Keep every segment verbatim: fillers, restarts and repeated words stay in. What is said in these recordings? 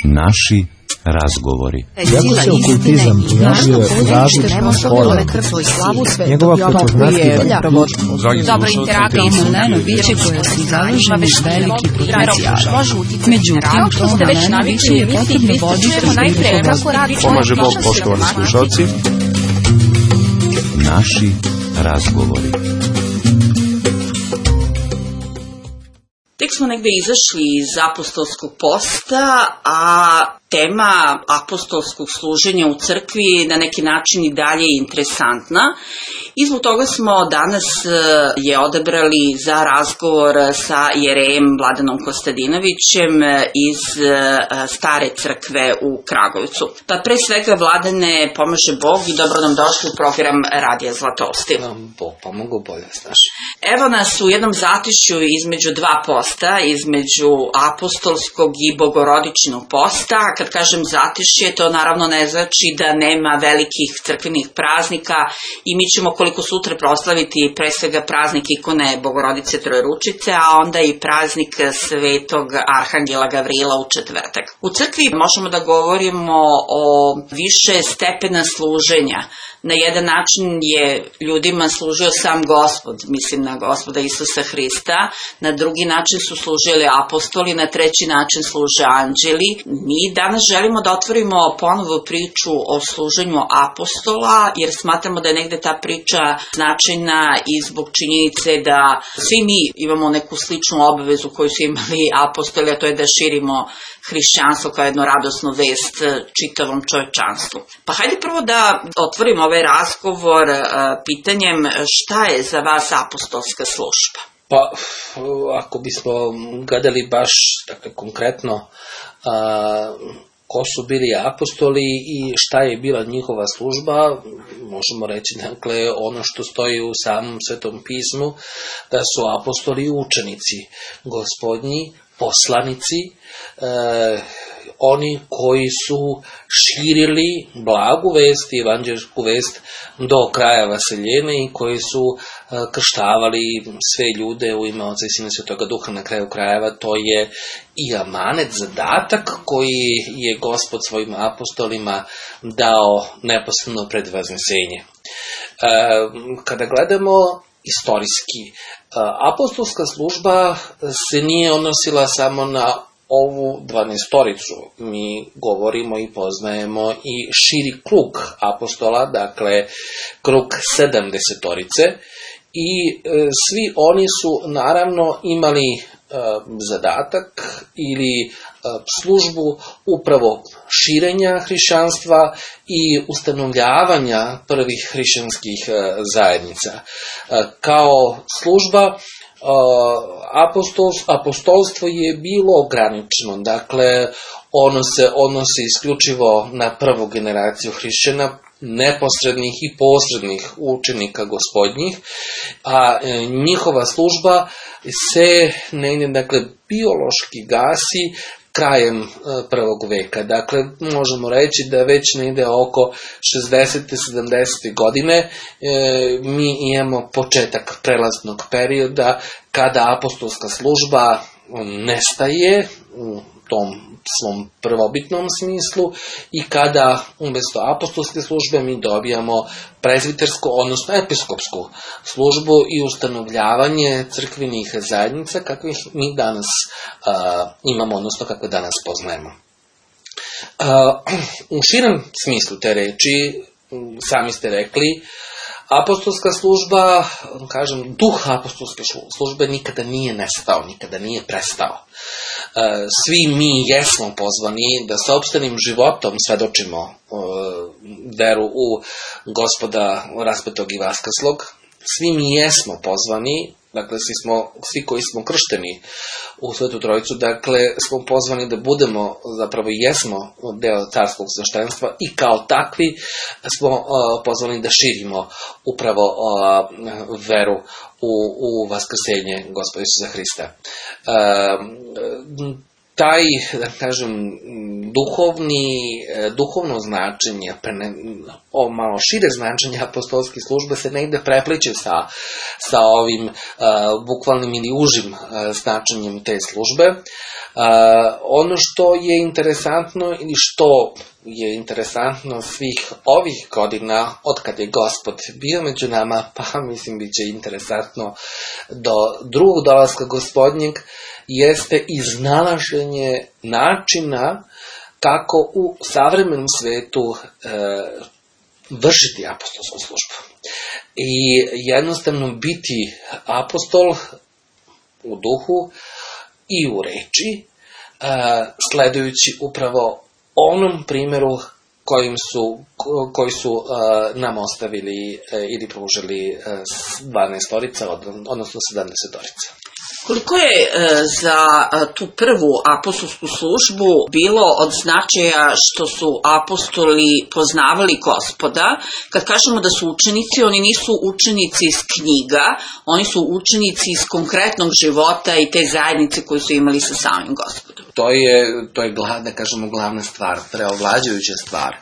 Naši razgovori. Iako se okultizam pojavio u različitim formama, njegova prepoznatljiva Dobro interaktivno biće koje su zaluženi veliki potencijal. Međutim, to na najviše je potrebno voditi računa. Pomaže Bog, poštovani slušalci. Naši razgovori. Tek smo negde izašli iz apostolskog posta, a tema apostolskog služenja u crkvi na neki način i dalje je interesantna. I zbog toga smo danas je odabrali za razgovor sa jerejem Vladanom Kostadinovićem iz Stare crkve u Kragujevcu. Pa pre svega, Vladane, pomaže Bog i dobro nam došli u program Radija Zlatousti. Bog pomogu, bolje znaš. Evo nas u jednom zatišju između dva posta, između apostolskog i bogorodičnog posta. Kad kažem zatišje, to naravno ne znači da nema velikih crkvenih praznika i mi ćemo koliko sutra proslaviti pre svega praznik ikone Bogorodice Trojeručice, a onda i praznik Svetog Arhangela Gavrila u četvrtak. U crkvi možemo da govorimo o više stepena služenja. Na jedan način je ljudima služio sam Gospod, mislim na Gospoda Isusa Hrista, na drugi način su služili apostoli, na treći način služe anđeli. Mi danas želimo da otvorimo ponovo priču o služenju apostola, jer smatramo da je negde ta priča značajna i zbog činjenice da svi mi imamo neku sličnu obavezu koju su imali apostoli, a to je da širimo hrišćanstvo kao jednu radosnu vest čitavom čovečanstvu. Pa hajde prvo da otvorimo ovaj razgovor pitanjem šta je za vas apostolska služba? Pa, ako bismo gledali baš dakle, konkretno a, ko su bili apostoli i šta je bila njihova služba, možemo reći dakle ono što stoji u samom Svetom pismu, da su apostoli učenici Gospodnji, poslanici, e, oni koji su širili blagu vest i evanđelsku vest do kraja vaseljene i koji su e, krštavali sve ljude u ime Oca i Sina i Svetoga Duha. Na kraju krajeva to je i amanet, zadatak koji je Gospod svojim apostolima dao neposredno pred vaznesenje. E, kada gledamo istorijski, apostolska služba se nije odnosila samo na ovu dvanaestoricu. Mi govorimo i poznajemo i širi krug apostola, dakle krug sedamdesetorice, i e, svi oni su naravno imali e, zadatak ili e, službu upravo širenja hrišćanstva i ustanovljavanja prvih hrišćanskih e, zajednica. E, kao služba Apostolstvo, apostolstvo je bilo ograničeno, dakle ono se odnosi isključivo na prvu generaciju hrišćana, neposrednih i posrednih učenika Gospodnjih, a e, njihova služba se negdje, dakle, biološki gasi krajem e, prvog veka. Dakle, možemo reći da već negdje oko šezdesete sedamdesete godine e, mi imamo početak prelaznog perioda kada apostolska služba nestaje u tom svom prvobitnom smislu i kada umjesto apostolske službe mi dobijamo prezbitersku, odnosno episkopsku službu i ustanovljavanje crkvenih zajednica kakvih mi danas a, imamo, odnosno kakve danas poznajemo. A, u širem smislu te reči, sami ste rekli, apostolska služba, kažem, duh apostolske službe nikada nije nestao, nikada nije prestao. Svi mi jesmo pozvani da sopstvenim životom svedočimo veru u Gospoda raspetog i vaskrslog. Svi mi jesmo pozvani, dakle svi, smo, svi koji smo kršteni u Svetu Trojicu, dakle smo pozvani da budemo, zapravo jesmo deo carskog sveštenstva i kao takvi smo uh, pozvani da širimo upravo uh, veru u, u vaskrsenje Gospoda Isusa Hrista. Uh, taj, da kažem, duhovni, duhovno značenje, o malo šire značenje apostolske službe se negde prepliče sa, sa ovim uh, bukvalnim ili užim uh, značenjem te službe. Uh, ono što je interesantno ili što je interesantno svih ovih godina od kad je Gospod bio među nama, pa mislim bit će interesantno do drugog dolaska Gospodnjeg, jeste iznalaženje načina kako u savremenom svetu e, vršiti apostolsku službu. I jednostavno biti apostol u duhu i u reči, e, sledujući upravo onom primjeru kojim su, koji su uh, nam ostavili uh, ili pružili uh, dvanaestorica, odnosno sedamdesetorica. Koliko je e, za e, tu prvu apostolsku službu bilo od značaja što su apostoli poznavali Gospoda? Kad kažemo da su učenici, oni nisu učenici iz knjiga, oni su učenici iz konkretnog života i te zajednice koju su imali sa samim Gospodom. To je, to je da kažemo, glavna stvar, preovlađujuća stvar. E,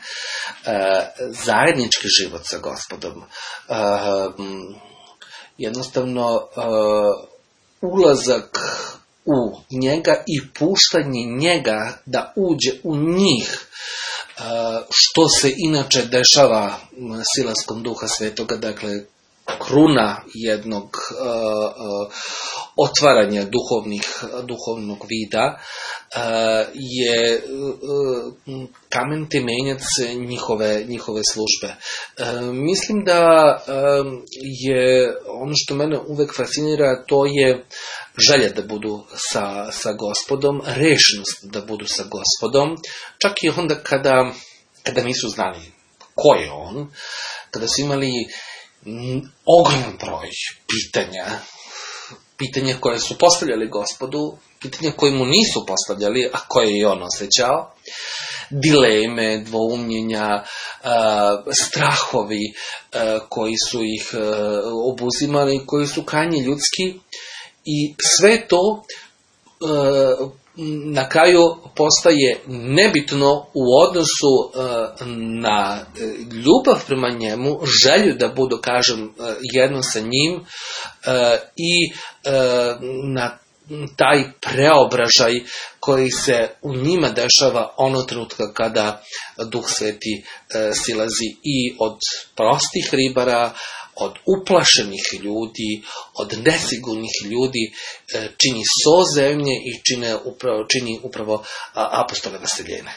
zajednički život sa Gospodom. E, jednostavno... E, ulazak u njega i puštanje njega da uđe u njih, što se inače dešava silaskom Duha Svetoga, dakle kruna jednog uh, otvaranja duhovnih, duhovnog vida uh, je uh, kamen temeljac njihove, njihove službe. Uh, mislim da uh, je ono što mene uvek fascinira, to je želja da budu sa, sa Gospodom, rešenost da budu sa Gospodom, čak i onda kada, kada nisu znali ko je on, kada su imali ogroman broj pitanja, pitanja koje su postavljali Gospodu, pitanja koje mu nisu postavljali, a koje je on osjećao, dileme, dvoumljenja, strahovi koji su ih obuzimali, koji su krajnje ljudski, i sve to na kraju postaje nebitno u odnosu na ljubav prema njemu, želju da budu, kažem, jedno sa njim i na taj preobražaj koji se u njima dešava ono trenutka kada Duh Sveti silazi i od prostih ribara, od uplašenih ljudi, od nesigurnih ljudi, čini so zemlje i čine upravo, čini upravo apostole vaseljene.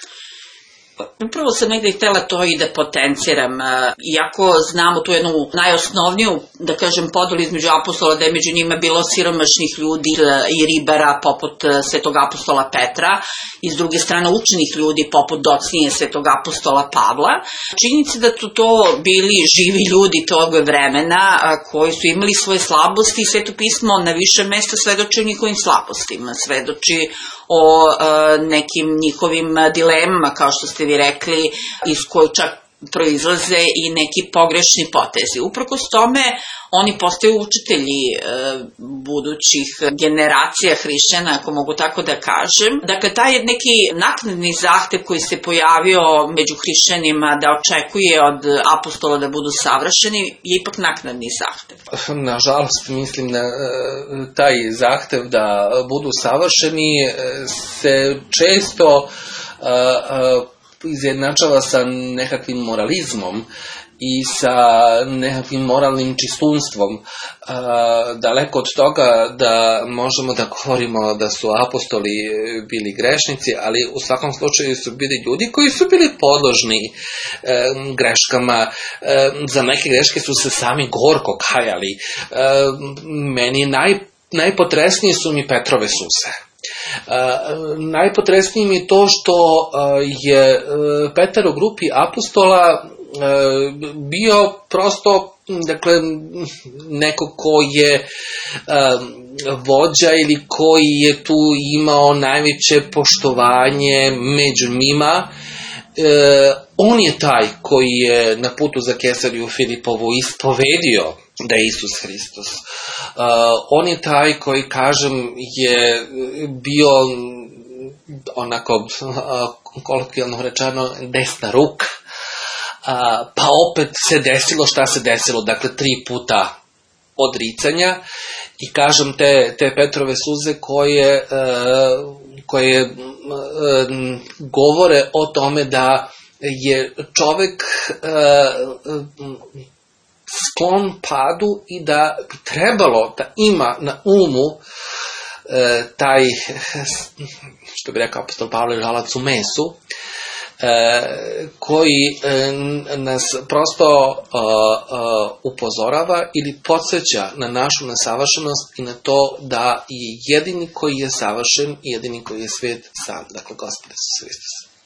Upravo sam negdje htjela to i da potenciram, iako znamo tu jednu najosnovniju, da kažem, podelu između apostola, da je među njima bilo siromašnih ljudi i ribara poput svetog apostola Petra i s druge strane učenih ljudi poput docnije svetog apostola Pavla. Činjenica da su to bili živi ljudi tog vremena koji su imali svoje slabosti i Sveto pismo na više mesta svedoči o njihovim slabostima, svedoči o e, nekim njihovim dilemama, kao što ste vi rekli, iz koje čak proizlaze i neki pogrešni potezi. Uprkos tome, oni postaju učitelji e, budućih generacija hrišćana, ako mogu tako da kažem. Dakle, taj neki naknadni zahtev koji se pojavio među hrišćanima da očekuje od apostola da budu savršeni, je ipak naknadni zahtev. Nažalost, mislim da taj zahtev da budu savršeni se često uh, uh, izjednačava sa nekakvim moralizmom i sa nekakvim moralnim čistunstvom. E, daleko od toga da možemo da govorimo da su apostoli bili grešnici, ali u svakom slučaju su bili ljudi koji su bili podložni e, greškama. E, za neke greške su se sami gorko kajali. E, meni naj, najpotresnije su mi Petrove suze. Uh, najpotresnije mi je to što uh, je uh, Petar u grupi apostola uh, bio prosto, dakle, neko ko je uh, vođa ili koji je tu imao najveće poštovanje među njima. Uh, on je taj koji je na putu za Kesariju Filipovu ispovedio da je Isus Hristos. Uh, on je taj koji, kažem, je bio onako kolokvijalno rečeno desna ruka, pa opet se desilo šta se desilo, dakle tri puta odricanja i kažem te, te Petrove suze koje, koje govore o tome da je čovek sklon padu i da bi trebalo da ima na umu taj, što bi rekao apostol Pavle, žalac u mesu, koji nas prosto upozorava ili podsjeća na našu nesavršenost i na to da je jedini koji je savršen i jedini koji je svet sam, dakle Gospod Isus Hristos.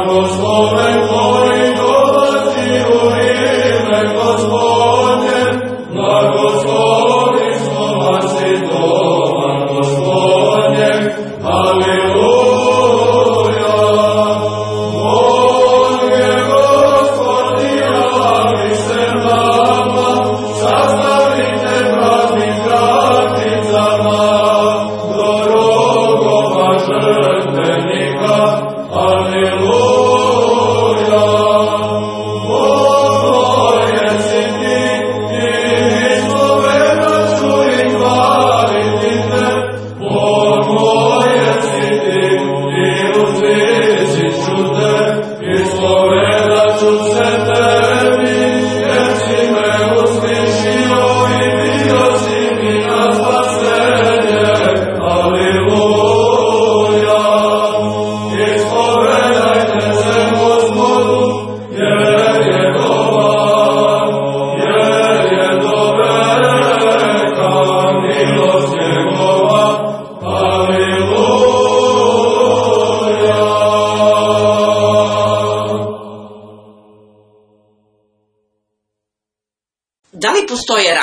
Blagosloven koji dolazi u ime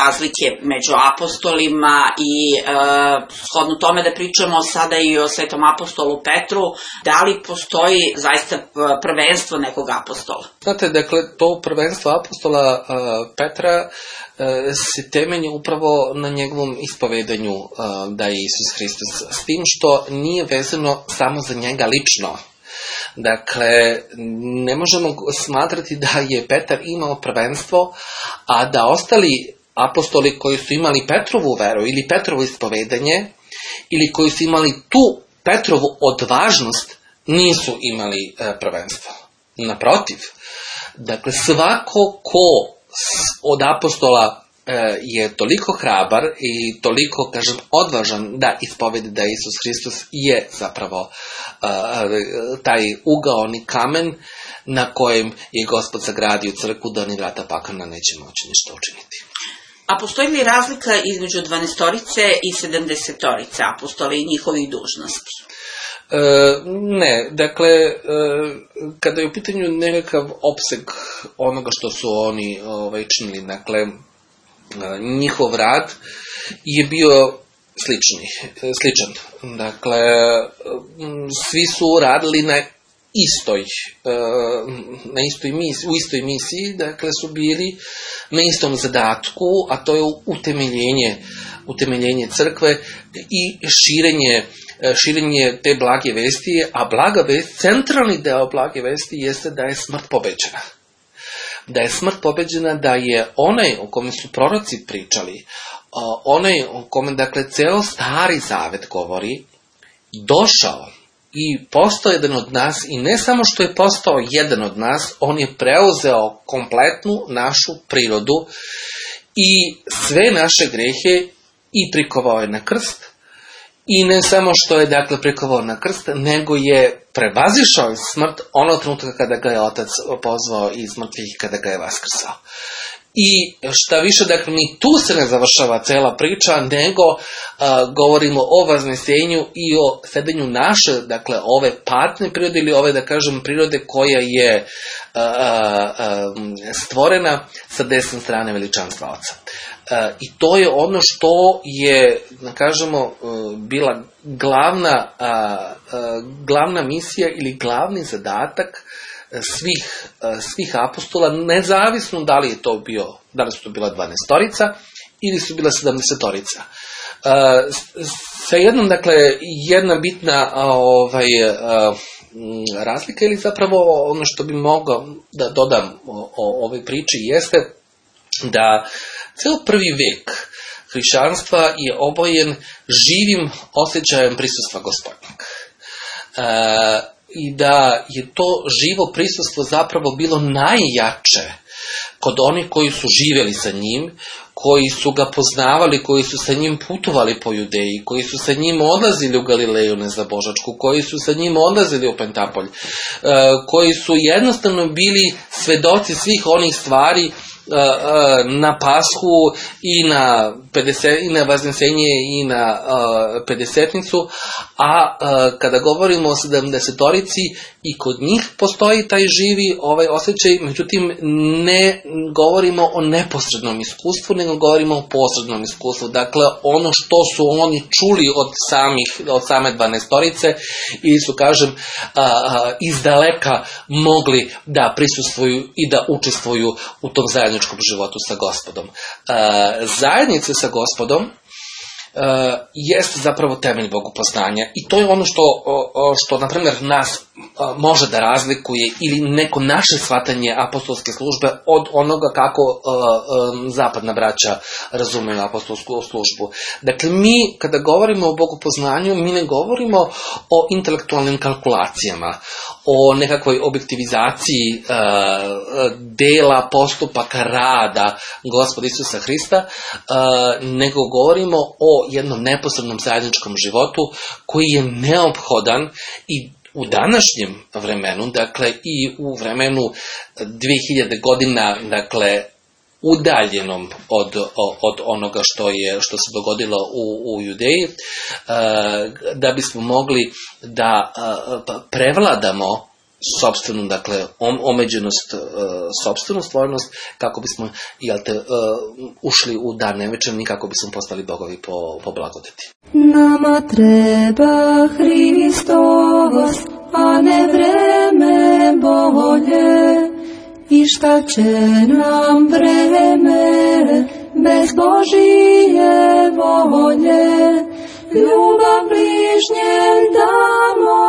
razlike među apostolima i e, shodno tome da pričamo sada i o svetom apostolu Petru, da li postoji zaista prvenstvo nekog apostola? Znate, dakle, to prvenstvo apostola uh, Petra uh, se temelji upravo na njegovom ispovedanju uh, da je Isus Hristos, s tim što nije vezano samo za njega lično. Dakle, ne možemo smatrati da je Petar imao prvenstvo, a da ostali apostoli koji su imali Petrovu veru ili Petrovo ispovedanje, ili koji su imali tu Petrovu odvažnost, nisu imali e, prvenstvo. Naprotiv, dakle, svako ko od apostola e, je toliko hrabar i toliko, kažem, odvažan da ispovedi da Isus Hristos je zapravo e, taj ugaoni kamen na kojem je Gospod sagradio crkvu, da ni vrata pakla neće moći ništa učiniti. A postoji li razlika između dvanaestorice i sedamdesetorice apostola i njihovih dužnosti? E, ne, dakle, e, kada je u pitanju nekakav opseg onoga što su oni ovaj, činili, dakle, e, njihov rad je bio slični, sličan. Dakle, svi su radili na istoj, na istoj misiji, u istoj misiji, dakle su bili na istom zadatku, a to je utemeljenje, utemeljenje crkve i širenje, širenje te blage vesti, a blaga vest, centralni deo blage vesti jeste da je smrt pobeđena. Da je smrt pobeđena, da je onaj o kome su proroci pričali, onaj o kome, dakle, ceo Stari Zavet govori, došao i postao jedan od nas, i ne samo što je postao jedan od nas, on je preuzeo kompletnu našu prirodu i sve naše grehe i prikovao je na krst. I ne samo što je, dakle, prikovao na krst, nego je prevazišao smrt onog trenutka kada ga je Otac pozvao iz mrtvih i kada ga je vaskrsao. I šta više, dakle, ni tu se ne završava cela priča, nego a, govorimo o vaznesenju i o sedenju naše, dakle, ove patne prirode ili ove, da kažem, prirode koja je a, a, stvorena sa desne strane veličanstva Oca. A, I to je ono što je, da kažemo, bila glavna, a, a, glavna misija ili glavni zadatak svih, svih apostola, nezavisno da li je to bio, da li su to bila dvanaestorica ili su bila sedamdesetorica. Sa jednom, dakle, jedna bitna ovaj, razlika, ili zapravo ono što bi mogao da dodam o, o ovoj priči, jeste da ceo prvi vek hrišćanstva je obojen živim osjećajem prisustva Gospodnjeg. E, I da je to živo prisustvo zapravo bilo najjače kod onih koji su živjeli sa njim, koji su ga poznavali, koji su sa njim putovali po Judeji, koji su sa njim odlazili u Galileju nezabožačku, koji su sa njim odlazili u Pentapolj, koji su jednostavno bili svedoci svih onih stvari na Pashu i na, pedeset, i na Vaznesenje i na uh, Pedesetnicu, a uh, kada govorimo o sedamdesetorici, i kod njih postoji taj živi ovaj osjećaj, međutim ne govorimo o neposrednom iskustvu, nego govorimo o posrednom iskustvu. Dakle, ono što su oni čuli od samih, od same dvanaestorice, ili su, kažem, uh, uh, izdaleka mogli da prisustvuju i da učestvuju u tom zajedničkom životu sa Gospodom. Uh, zajednice sa Gospodom uh, jeste zapravo temelj bogopoznanja, i to je ono što, uh, što na primjer, nas uh, može da razlikuje ili neko naše shvatanje apostolske službe od onoga kako uh, um, zapadna braća razumeju apostolsku službu. Dakle, mi kada govorimo o bogopoznanju, mi ne govorimo o intelektualnim kalkulacijama, o nekakvoj objektivizaciji uh, dela, postupaka, rada Gospoda Isusa Hrista, uh, nego govorimo o jednom neposrednom zajedničkom životu koji je neophodan i u današnjem vremenu, dakle i u vremenu dve hiljade godina, dakle udaljenom od, od onoga što je što se dogodilo u, u Judeji, da bismo mogli da prevladamo sopstvenu, dakle, omeđenost, sopstvenu stvarnost, kako bismo, jel te, ušli u dan nevečerni, kako bismo postali bogovi po, po blagodeti. Nama treba Hristos, a ne vreme bolje, i šta će nam vreme bez Božije volje. Ljubav bližnjem damo,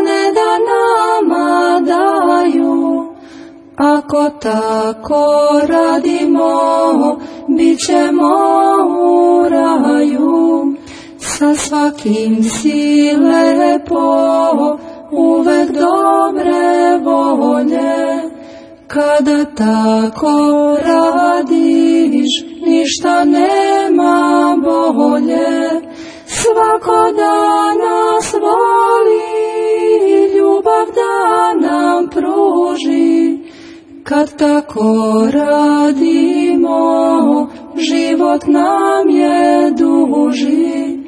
ne da nama daju. Ako tako radimo, bit ćemo u raju. Sa svakim si lepo, uvek dobre volje. Kada tako radiš, ništa nema bolje. Svako da nas voli, ljubav da nam pruži. Kad tako radimo, život nam je duži.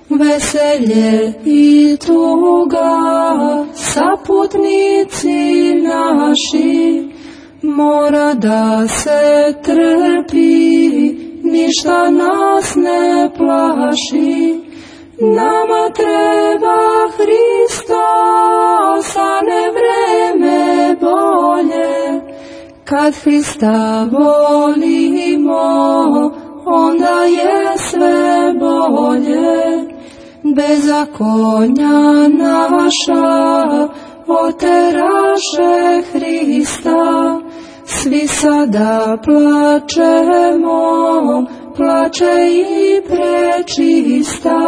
Veselje i tuga, saputnici naši, mora da se trpi, ništa nas ne plaši. Nama treba Hristos, a ne vreme bolje. Kad Hrista volimo, onda je sve bolje. Bezakonja naša oteraše Hrista. Svi sada plačemo, plače i prečista.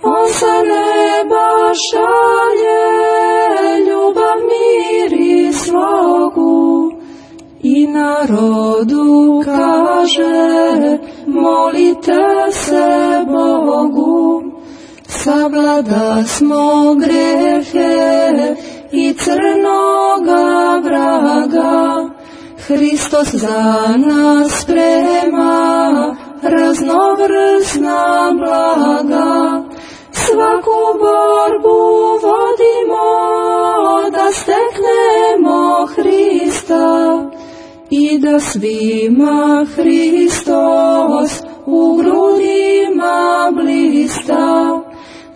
On sa neba šalje ljubav, mir i slogu. I narodu kaže, molite se Bogu. Savlada smo grehe i crnoga vraga. Hristos za nas sprema raznovrsna blaga. Svaku borbu vodimo da steknemo Hrista i da svima Hristos u grudima blista.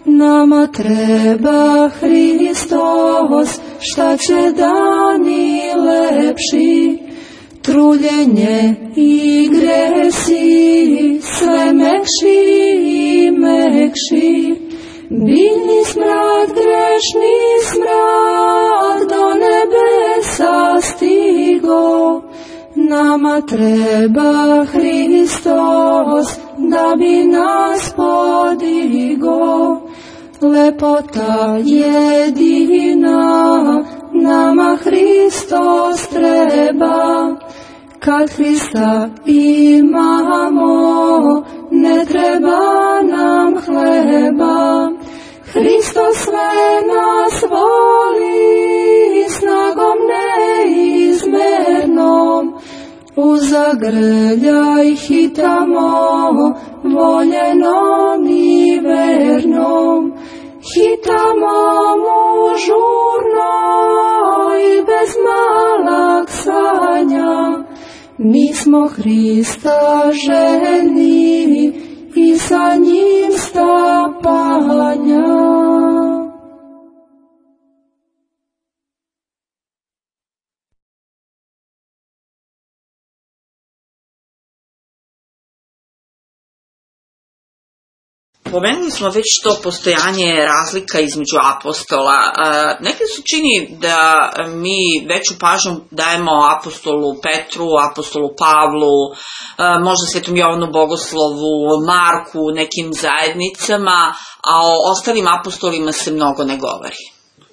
Nama treba Hristos, šta će dani lepši. Truljenje i gresi, sve mekši i mekši. Biljni smrad, grešni smrad, do nebesa stigo. Nama treba Hristos, da bi nas podigo. Lepota jedina, nama Hristos treba. Kad Hrista imamo, ne treba nam hleba. Hristos sve nas voli, snagom neizmernom. U zagrljaj hitamo, voljenom i vernom. Hitamo mu žurno i bez malaksanja. Mi smo Hrista željni i sa njim stapanja. Pomenuli smo već to postojanje razlika između apostola. Nekad se čini da mi veću pažnju dajemo apostolu Petru, apostolu Pavlu, možda Svetom Jovanu Bogoslovu, Marku, nekim zajednicama, a o ostalim apostolima se mnogo ne govori.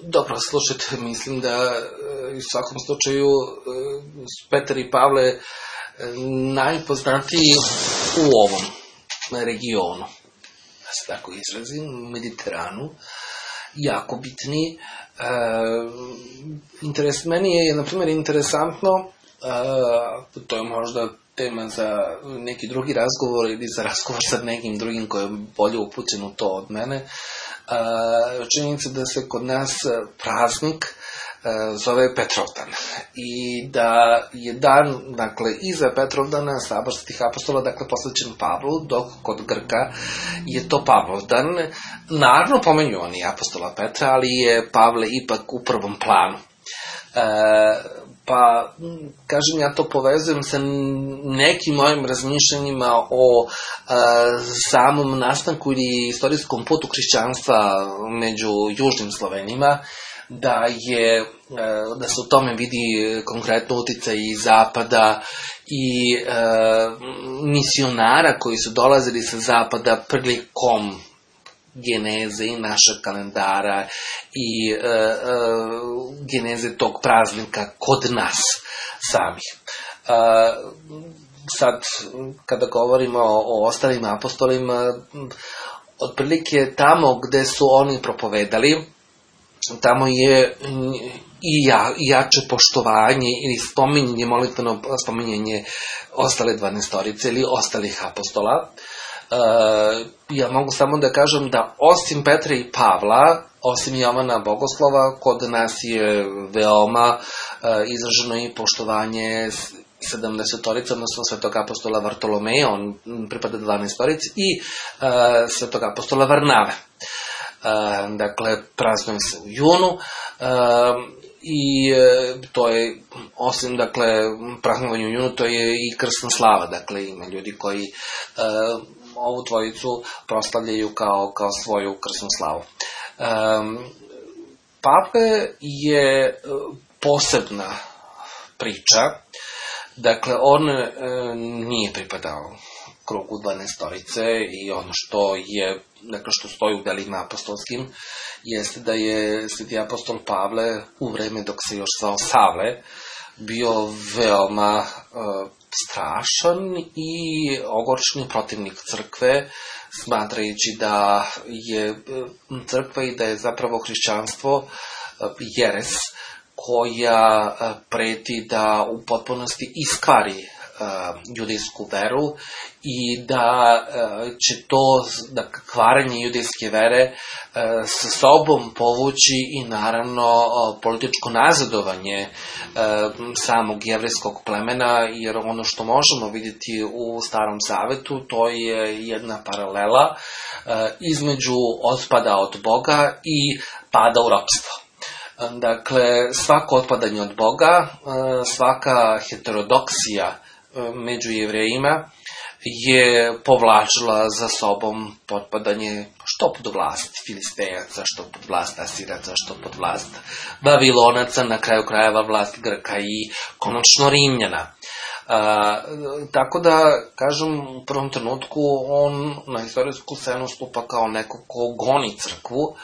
Dobro, slušajte, mislim da u svakom slučaju Petar i Pavle najpoznatiji u ovom regionu, da se tako izrazim, Mediteranu, jako bitni. E, interes, meni je, na primjer, interesantno, e, to je možda tema za neki drugi razgovor ili za razgovor sa nekim drugim koji je bolje upućen u to od mene, e, činjenica da se kod nas praznik zove Petrovdan. I da je dan, dakle, iza Petrovdana saborskih apostola, dakle, posvećen Pavlu, dok kod Grka je to Pavlovdan. Naravno, pomenju oni apostola Petra, ali je Pavle ipak u prvom planu. E, pa, kažem, ja to povezujem sa nekim mojim razmišljanjima o e, samom nastanku ili istorijskom putu hrišćanstva među južnim Slovenima, da je, da se u tome vidi konkretno uticaj i zapada i e, misionara koji su dolazili sa zapada prilikom geneze i našeg kalendara i e, e, geneze tog praznika kod nas samih. E, sad, kada govorimo o ostalim apostolima, otprilike tamo gde su oni propovedali, tamo je i, ja, i jače poštovanje ili spominjanje, molitveno spominjanje ostale dvanaestorice ili ostalih apostola. E, ja mogu samo da kažem da osim Petra i Pavla, osim Jovana Bogoslova, kod nas je veoma e, izraženo i poštovanje sedamdesetorica, odnosno svetog apostola Vartolomeja, on pripada dvanaestorici, i e, svetog apostola Varnave. E, dakle, praznuje se u junu e, i e, to je, osim, dakle, praznovanje u junu, to je i krsna slava, dakle, ima ljudi koji e, ovu dvojicu proslavljaju kao, kao svoju krsnu slavu. E, Pavle je posebna priča, dakle, on e, nije pripadao krugu dvanaestorice i ono što je, dakle, što stoji u delima apostolskim, jeste da je sveti apostol Pavle u vreme dok se još zvao Savle bio veoma uh, strašan i ogorčeni protivnik crkve, smatrajući da je crkva i da je zapravo hrišćanstvo uh, jeres koja uh, preti da u potpunosti iskvari judejsku veru i da će to, da kvarenje judejske vere sa sobom povući i naravno političko nazadovanje samog jevrejskog plemena, jer ono što možemo vidjeti u Starom Zavetu, to je jedna paralela između otpada od Boga i pada u ropstvo. Dakle, svako otpadanje od Boga, svaka heterodoksija među Jevrejima je povlačila za sobom potpadanje što pod vlast Filistejaca, što pod vlast Asiraca, što pod vlast Vavilonaca, na kraju krajeva vlast Grka i konačno Rimljana. A, tako da, kažem, u prvom trenutku on na istorijsku scenu stupa kao neko ko goni crkvu,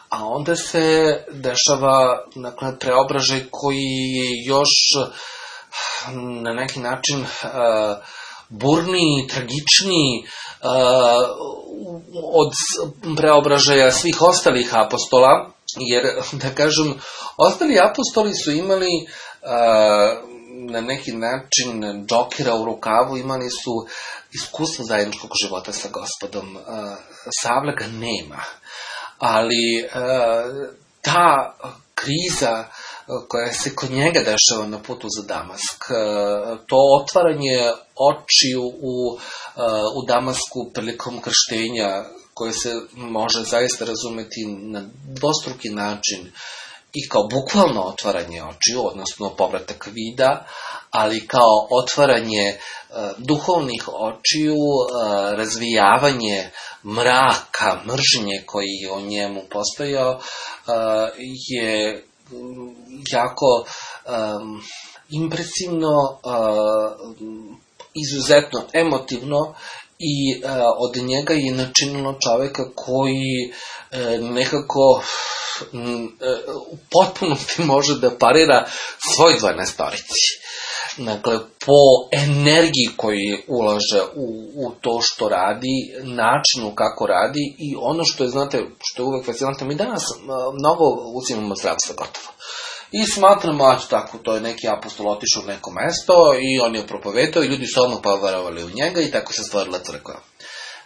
a onda se dešava, dakle, preobražaj koji je još na neki način uh, burniji, tragičniji uh, od preobražaja svih ostalih apostola, jer, da kažem, ostali apostoli su imali uh, na neki način džokera u rukavu, imali su iskustvo zajedničkog života sa Gospodom. Uh, Savle ga nema, ali uh, ta kriza koja se kod njega dešava na putu za Damask, to otvaranje očiju u, u Damasku prilikom krštenja, koje se može zaista razumeti na dvostruki način, i kao bukvalno otvaranje očiju, odnosno povratak vida, ali kao otvaranje uh, duhovnih očiju, uh, razvijavanje mraka, mržnje koji je o njemu postojao, uh, je jako um, impresivno, uh, izuzetno emotivno i uh, od njega je načinilo čoveka koji uh, nekako um, u potpunosti može da parira svoj dvanaestorici. Dakle, po energiji koji ulaže u, u to što radi, načinu kako radi i ono što je, znate, što je uvek fascinantno, mi danas mnogo uzimamo zdravstva gotovo. I smatramo, a tako, to je neki apostol otišao u neko mesto i on je propovedao i ljudi su odmah poverovali u njega i tako se stvorila crkva.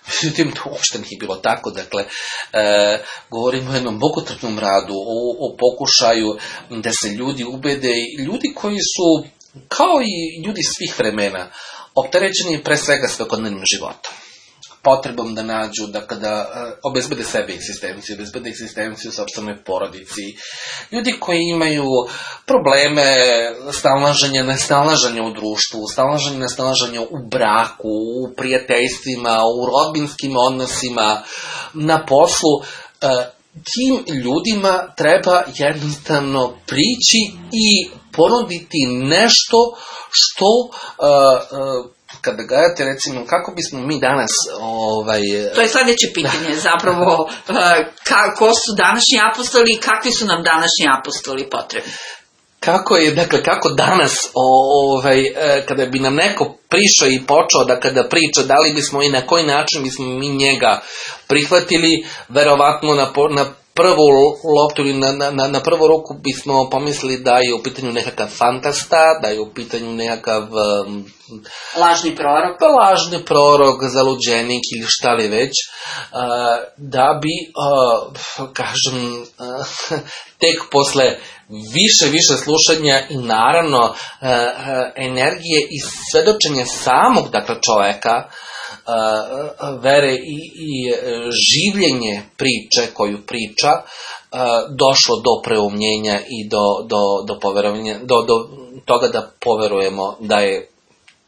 Međutim, to uopšte nije bilo tako. Dakle, e, govorimo o jednom bogotrpnom radu, o, o pokušaju da se ljudi ubede, ljudi koji su, kao i ljudi svih vremena, opterećeni pre svega svakodnevnim životom. Potrebom da nađu, da kada obezbede sebe egzistenciju, obezbede egzistenciju sopstvenoj porodici. Ljudi koji imaju probleme snalaženja, nesnalaženja u društvu, snalaženja, nesnalaženja u braku, u prijateljstvima, u rodbinskim odnosima, na poslu. Tim ljudima treba jednostavno prići i ponuditi nešto što... Uh, uh, kada gledate, recimo, kako bismo mi danas... Ovaj... To je sljedeće pitanje, zapravo, kako su današnji apostoli i kakvi su nam današnji apostoli potrebni? Kako je, dakle, kako danas, ovaj, kada bi nam neko prišao i počeo da kada priča, da li bismo i na koji način bismo mi njega prihvatili, verovatno na, na prvu loptu ili na, na, na prvu ruku bismo pomislili da je u pitanju nekakav fantasta, da je u pitanju nekakav... Um, lažni prorok. Lažni prorok, zaluđenik ili šta li već, uh, da bi, uh, kažem, uh, tek posle više, više slušanja i naravno uh, uh, energije i svedočenja samog, dakle, čoveka, Uh, vere i, i življenje priče koju priča, uh, došlo do preumljenja i do, do, do, poverovanja, do, do toga da poverujemo da je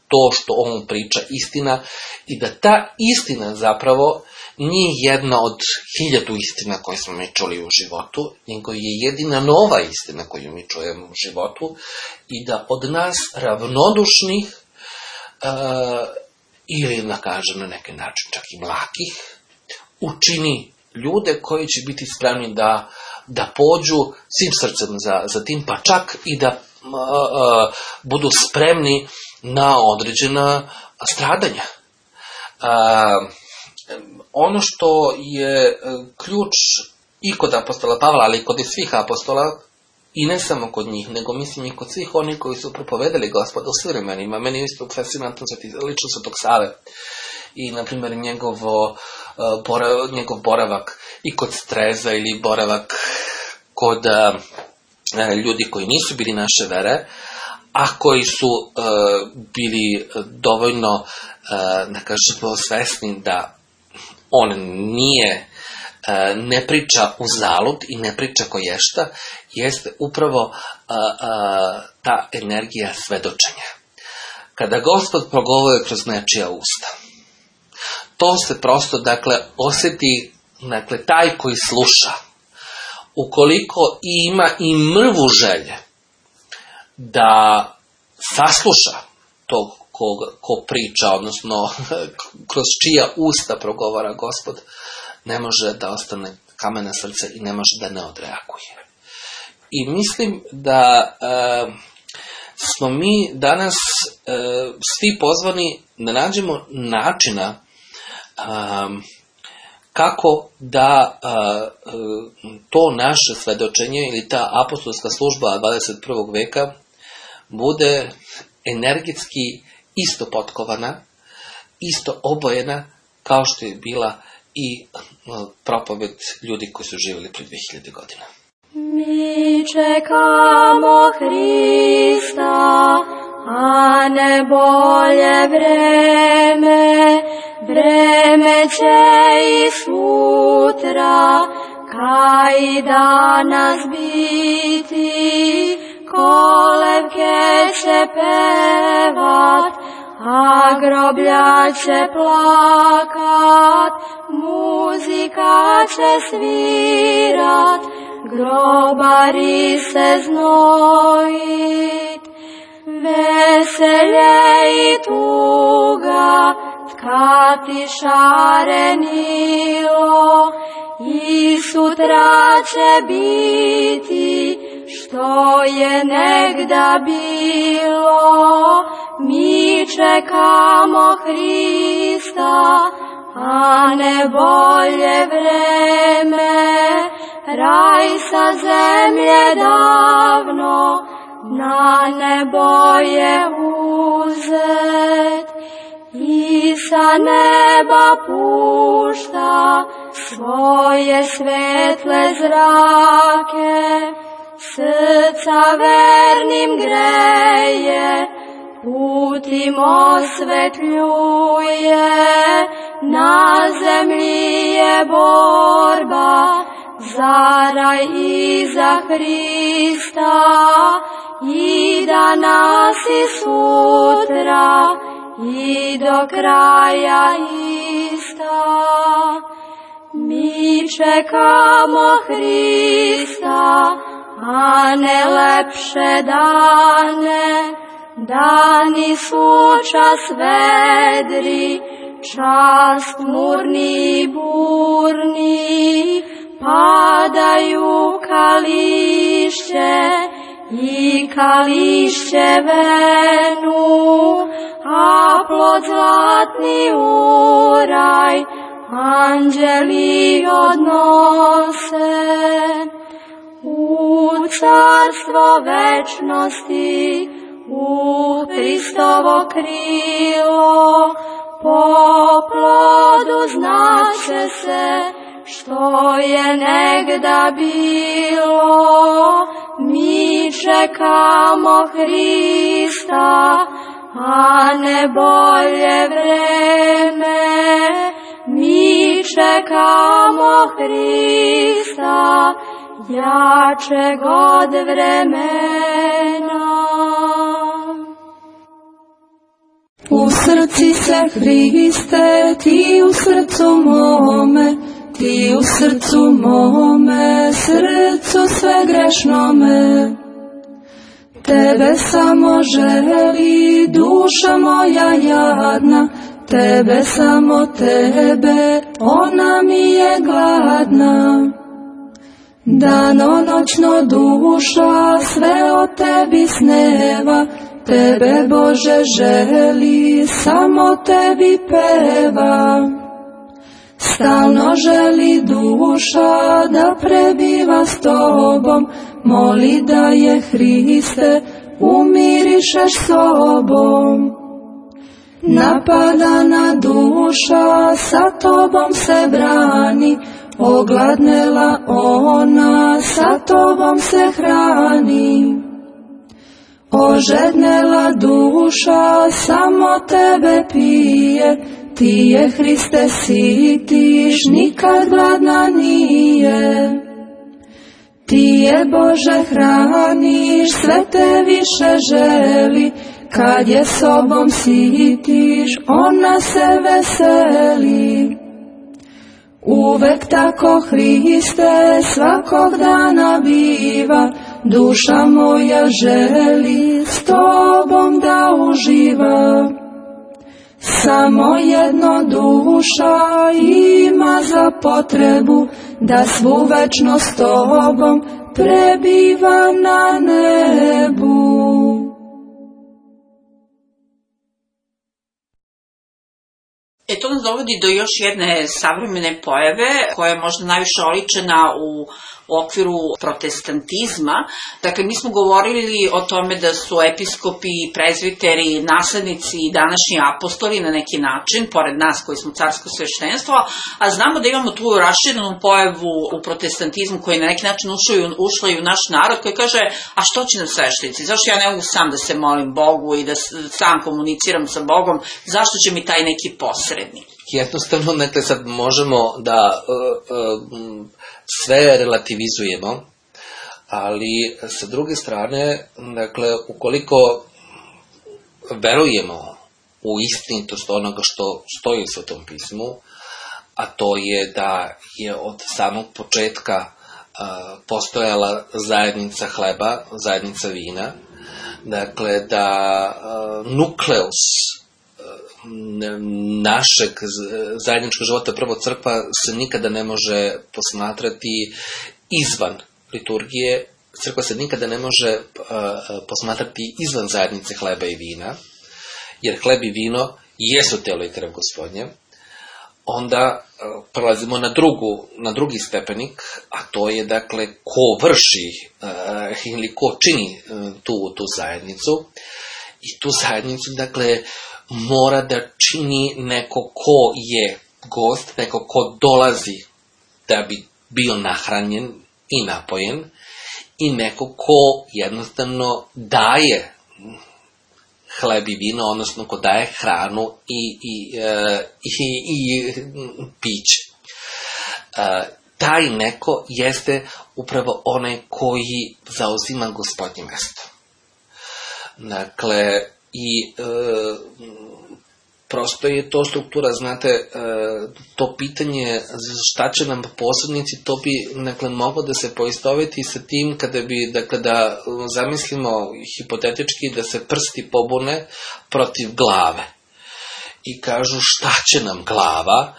to što on priča istina i da ta istina zapravo nije jedna od hiljadu istina koje smo mi čuli u životu, nego je jedina nova istina koju mi čujemo u životu i da od nas ravnodušnih uh, ili, da kažem, na neki način čak i mlakih, učini ljude koji će biti spremni da, da pođu svim srcem za, za tim, pa čak i da uh, uh, budu spremni na određena stradanja. Uh, ono što je ključ i kod apostola Pavla, ali i kod svih apostola, i ne samo kod njih, nego mislim i kod svih onih koji su propovedali Gospoda u svim vremenima. Meni je isto fascinantno lično Svetog Save i, na primjer, njegovo, uh, borav, njegov boravak i kod Streza ili boravak kod uh, ljudi koji nisu bili naše vere, a koji su uh, bili dovoljno, uh, da kažemo, svesni da on nije, uh, ne priča uzalud i ne priča koješta, jeste upravo uh, uh, ta energija svedočenja. Kada Gospod progovori kroz nečija usta, to se prosto, dakle, osjeti, dakle, taj koji sluša, ukoliko ima i mrvu želje da sasluša tog ko, ko priča, odnosno kroz čija usta progovara Gospod, ne može da ostane kamena srce i ne može da ne odreaguje. I mislim da e, smo mi danas e, svi pozvani da nađemo načina e, kako da e, to naše svedočenje ili ta apostolska služba dvadeset prvog veka bude energetski isto potkovana, isto obojena kao što je bila i propoved ljudi koji su živjeli prije dve hiljade godina. Mi čekamo Hrista, a ne bolje vreme, vreme će i sutra, kaj i danas biti, kolevke će pevat, a groblja će plakat, muzika će svirat, grobari se znojit. Veselje i tuga tkati šarenilo, i sutra će biti što je negda bilo. Mi čekamo Hrista, a ne bolje vreme, raj sa zemlje davno na nebo je uzet. i sa neba pušta svoje svetle zrake, srca vernim greje, putim osvetljuje, na zemlji je borba za raj i za Hrista, i danas i sutra i do kraja ista. Mi čekamo Hrista, a ne lepše dane, dani su čas vedri, čas tmurni i burni, padaju kališće i kališće venu, a plod zlatni uraj anđeli odnose. U carstvo večnosti, u Hristovo krilo, po plodu znaće se što je negda bilo. Mi čekamo Hrista, a ne bolje vreme. Mi čekamo Hrista, jačeg od vremena. U srci se Hriste, ti u srcu mome, ti u srcu mome, srcu sve grešnome. Tebe samo želi duša moja jadna, tebe samo tebe, ona mi je gladna. Danonoćno duša sve o tebi sneva, tebe Bože želi, samo tebi peva. Stalno želi duša da prebiva s tobom, moli da je Hriste umirišeš sobom. Napadana duša sa tobom se brani, ogladnela ona sa tobom se hrani. Ožednela duša samo tebe pije, ti je Hriste sitiš, nikad gladna nije. Ti je Bože hraniš, sve te više želi, kad je sobom sitiš, ona se veseli. Uvek tako Hriste svakog dana biva, duša moja želi s tobom da uživa. Samo jedno duša ima za potrebu, da svu večnost s tobom prebiva na nebu. E to nas dovodi do još jedne savremene pojave koja je možda najviše oličena u okviru protestantizma. Dakle, mi smo govorili o tome da su episkopi i prezviteri naslednici i današnji apostoli na neki način, pored nas koji smo carsko sveštenstvo, a znamo da imamo tu raširenu pojavu u protestantizmu koji na neki način ušla i u naš narod, koji kaže, a što će nam sveštenici? Zašto ja ne mogu sam da se molim Bogu i da sam komuniciram sa Bogom? Zašto će mi taj neki posrednik? Jednostavno, dakle, sad možemo da uh, uh, sve relativizujemo, ali sa druge strane, dakle, ukoliko verujemo u istinitost onoga što stoji u Svetom pismu, a to je da je od samog početka uh, postojala zajednica hleba, zajednica vina, dakle, da uh, nukleus našeg zajedničkog života, prvo crkva, se nikada ne može posmatrati izvan liturgije, crkva se nikada ne može uh, posmatrati izvan zajednice hleba i vina, jer hleb i vino jesu telo i krv Gospodnje. Onda uh, prelazimo na, drugu, na drugi stepenik, a to je, dakle, ko vrši uh, ili ko čini uh, tu, tu zajednicu. I tu zajednicu, dakle, mora da čini neko ko je gost, neko ko dolazi da bi bio nahranjen i napojen i neko ko jednostavno daje hleb i vino, odnosno ko daje hranu i, i, i, i piće. Taj neko jeste upravo onaj koji zauzima Gospodnje mesto. Dakle, i e, prosto je to struktura, znate, e, to pitanje šta će nam posrednici, to bi, dakle, moglo da se poistoveti sa tim kada bi, dakle, da zamislimo hipotetički da se prsti pobune protiv glave i kažu šta će nam glava.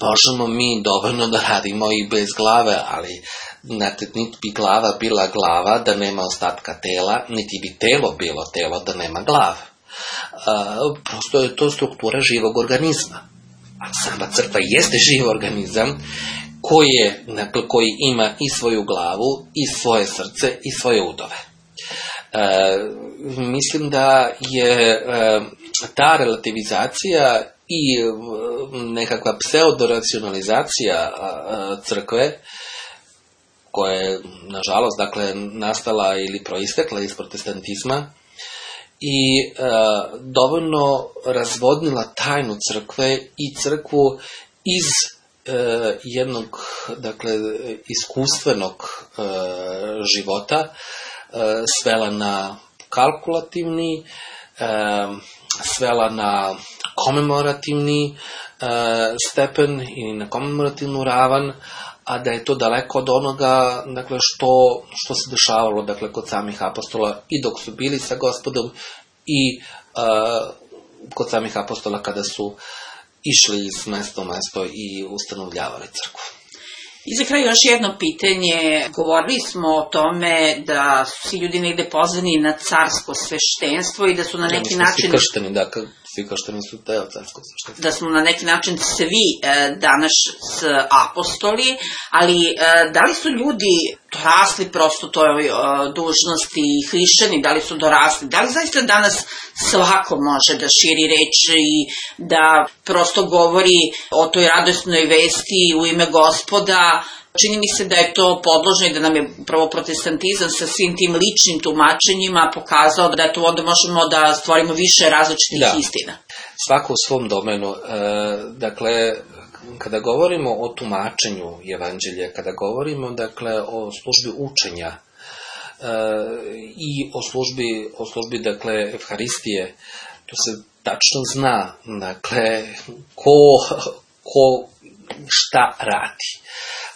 Možemo mi dovoljno da radimo i bez glave, ali znate, niti bi glava bila glava da nema ostatka tela, niti bi telo bilo telo da nema glave. Uh, prosto je to struktura živog organizma. A sama crkva jeste živ organizam koji, je, dakle, koji ima i svoju glavu, i svoje srce, i svoje udove. Uh, mislim da je uh, ta relativizacija i nekakva pseudoracionalizacija crkve, koja je, nažalost, dakle, nastala ili proistekla iz protestantizma i e, dovoljno razvodnila tajnu crkve i crkvu iz e, jednog, dakle, iskustvenog e, života e, svela na kalkulativni, e, svela na komemorativni e, stepen i na komemorativnu ravan, a da je to daleko od onoga, dakle, što, što se dešavalo, dakle, kod samih apostola i dok su bili sa Gospodom i e, kod samih apostola kada su išli iz mesta u mesto i ustanovljavali crkvu. I za kraj još jedno pitanje. Govorili smo o tome da su svi ljudi negde pozvani na carsko sveštenstvo i da su na neki ja, način... Svi kršteni, da, svi kršteni su deo carskog sveštenstva. Da smo na neki način svi e, danas apostoli, ali e, da li su ljudi dorasli prosto toj e, dužnosti i hrišćani, da li su dorasli, da li zaista danas svako može da širi reč i da prosto govori o toj radosnoj vesti u ime Gospoda. Čini mi se da je to podložno i da nam je upravo protestantizam sa svim tim ličnim tumačenjima pokazao da tu onda možemo da stvorimo više različitih da. istina. Svako u svom domenu. E, dakle, kada govorimo o tumačenju evanđelja, kada govorimo, dakle, o službi učenja e, i o službi, o službi, dakle, evharistije, to se tačno zna, dakle, ko, ko šta radi.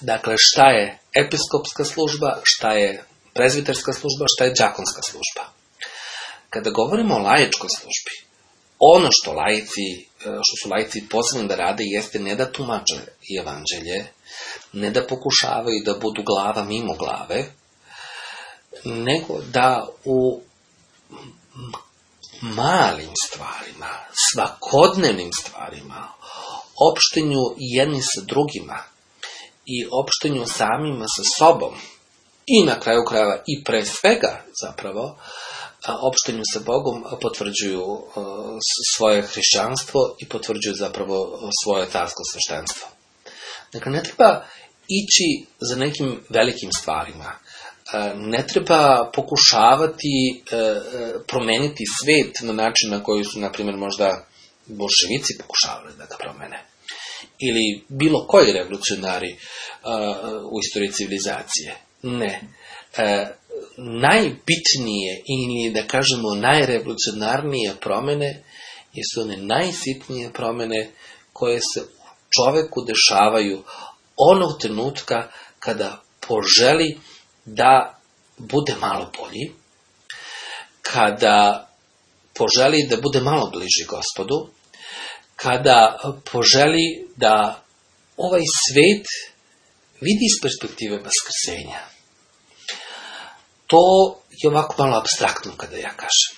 Dakle, šta je episkopska služba, šta je prezbiterska služba, šta je đakonska služba. Kada govorimo o laičkoj službi, ono što laici, što su laici posebno da rade jeste ne da tumače evanđelje, ne da pokušavaju da budu glava mimo glave, nego da u malim stvarima, svakodnevnim stvarima, opštenju jedni sa drugima i opštenju samima sa sobom i na kraju krajeva i pre svega zapravo opštenju sa Bogom potvrđuju svoje hrišćanstvo i potvrđuju zapravo svoje carsko sveštenstvo. Dakle, ne treba ići za nekim velikim stvarima. Ne treba pokušavati promeniti svet na način na koji su, na primjer, možda bolševici pokušavali da ga promene. Ili bilo koji revolucionari u istoriji civilizacije. Ne. Najbitnije ili, da kažemo, najrevolucionarnije promene jesu one najsitnije promene koje se čoveku dešavaju onog trenutka kada poželi da bude malo bolji, kada poželi da bude malo bliži Gospodu, kada poželi da ovaj svet vidi iz perspektive vaskrsenja. To je ovako malo apstraktno kada ja kažem.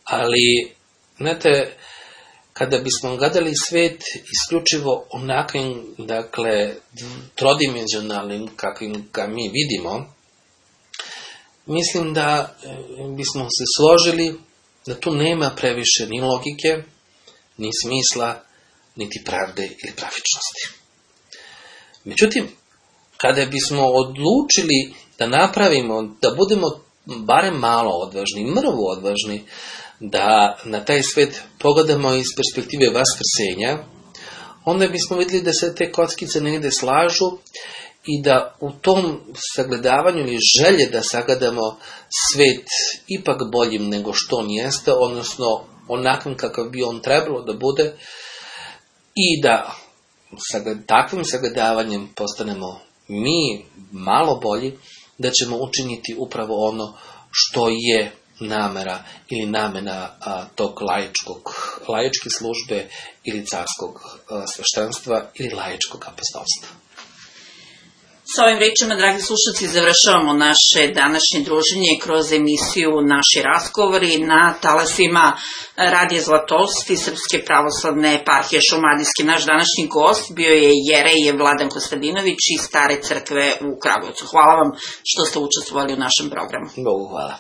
Ali, znate, kada bismo gledali svet isključivo onakvim, dakle, trodimenzionalnim kakvim ga mi vidimo, mislim da bismo se složili da tu nema previše ni logike, ni smisla, niti pravde ili pravičnosti. Međutim, kada bismo odlučili da napravimo, da budemo barem malo odvažni, mrvu odvažni, da na taj svet pogledamo iz perspektive vaskrsenja, onda bismo vidjeli da se te kockice negdje slažu i da u tom sagledavanju ili želje da sagledamo svet ipak boljim nego što on jeste, odnosno onakvim kakav bi on trebalo da bude, i da takvim sagledavanjem postanemo mi malo bolji, da ćemo učiniti upravo ono što je namera ili namena a, tog laičkog, laičke službe ili carskog a, sveštenstva ili laičkog apostolstva. Sa ovim rečima, dragi slušalci, završavamo naše današnje druženje kroz emisiju Naši razgovori na talasima Radija Zlatost i Srpske pravoslavne eparhije Šumadijske. Naš današnji gost bio je jerej Vladan Kostadinović iz Stare crkve u Kragujevcu. Hvala vam što ste učestvovali u našem programu. Bogu hvala.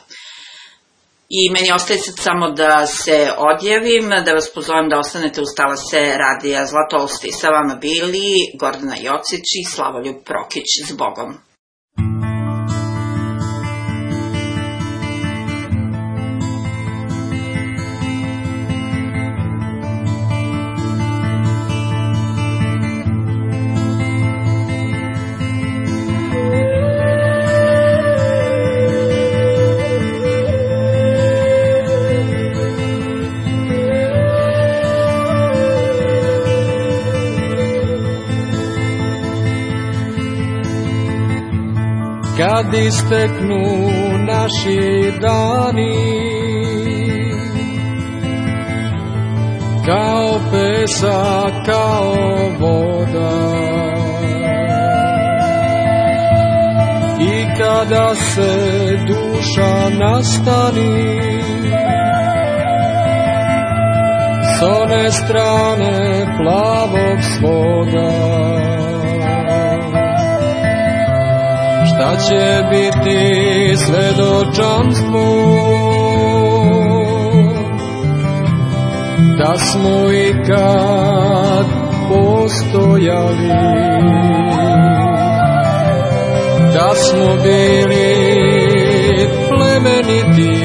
I meni ostaje sad samo da se odjavim, da vas pozovem da ostanete uz talase Radija Zlatosti. Sa vama bili Gordana Jocić i Slavoljub Prokić. S Bogom. Kad isteknu naši dani, kao pesak, kao voda, i kada se duša nastani, s one strane plavog svoga, šta će biti svedočanstvo da smo ikad postojali, da smo bili plemeniti,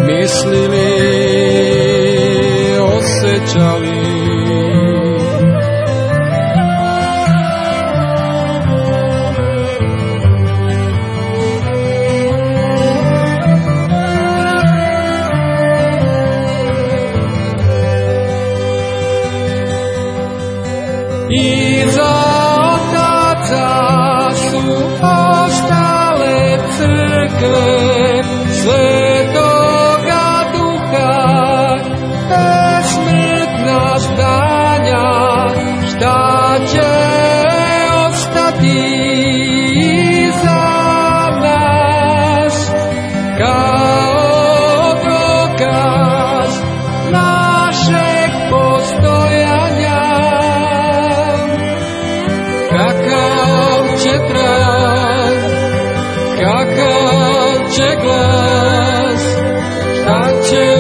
mislili, osjećali. Iza otaca su ostale crkve Svetoga Duha, besmrtna zdanja, šta će ostati iza nas, kao dokaz našeg postojanja. Kakav će trag, kakav će glas, šta će